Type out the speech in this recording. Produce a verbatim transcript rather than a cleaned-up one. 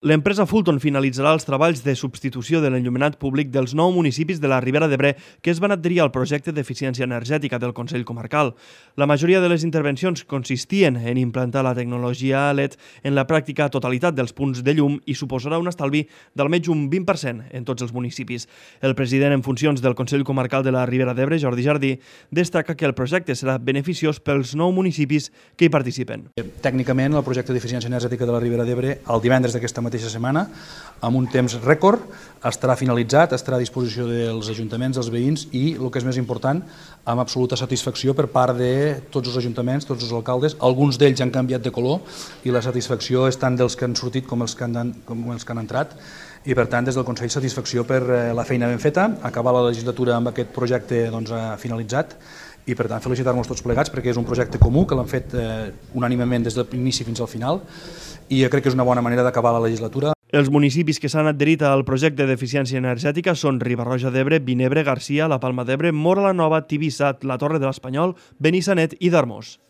L'empresa Fulton finalitzarà els treballs de substitució de l'enllumenat públic dels nou municipis de la Ribera d'Ebre que es van adherir al projecte d'eficiència energètica del Consell Comarcal. La majoria de les intervencions consistien en implantar la tecnologia L E D en la pràctica totalitat dels punts de llum i suposarà un estalvi d'almenys un vint per cent en tots els municipis. El president en funcions del Consell Comarcal de la Ribera d'Ebre, Jordi Jardí, destaca que el projecte serà beneficiós pels nou municipis que hi participen. Tècnicament, el projecte d'eficiència energètica de la Ribera d'Ebre, el divendres d'aquesta mateixa setmana, amb un temps rècord, estarà finalitzat, estarà a disposició dels ajuntaments, dels veïns i, el que és més important, amb absoluta satisfacció per part de tots els ajuntaments, tots els alcaldes. Alguns d'ells han canviat de color i la satisfacció és tant dels que han sortit com els que han, com els que han entrat. I, per tant, des del Consell, satisfacció per la feina ben feta, acabar la legislatura amb aquest projecte doncs, finalitzat i, per tant, felicitar-nos tots plegats perquè és un projecte comú que l'han fet eh, unànimement des del inici fins al final i crec que és una bona manera d'acabar la legislatura. Els municipis que s'han adherit al projecte d'eficiència energètica són Riba-roja d'Ebre, Vinebre, Garcia, la Palma d'Ebre, Móra la Nova, Tivissa, la Torre de l'Espanyol, Benissanet i Darmós.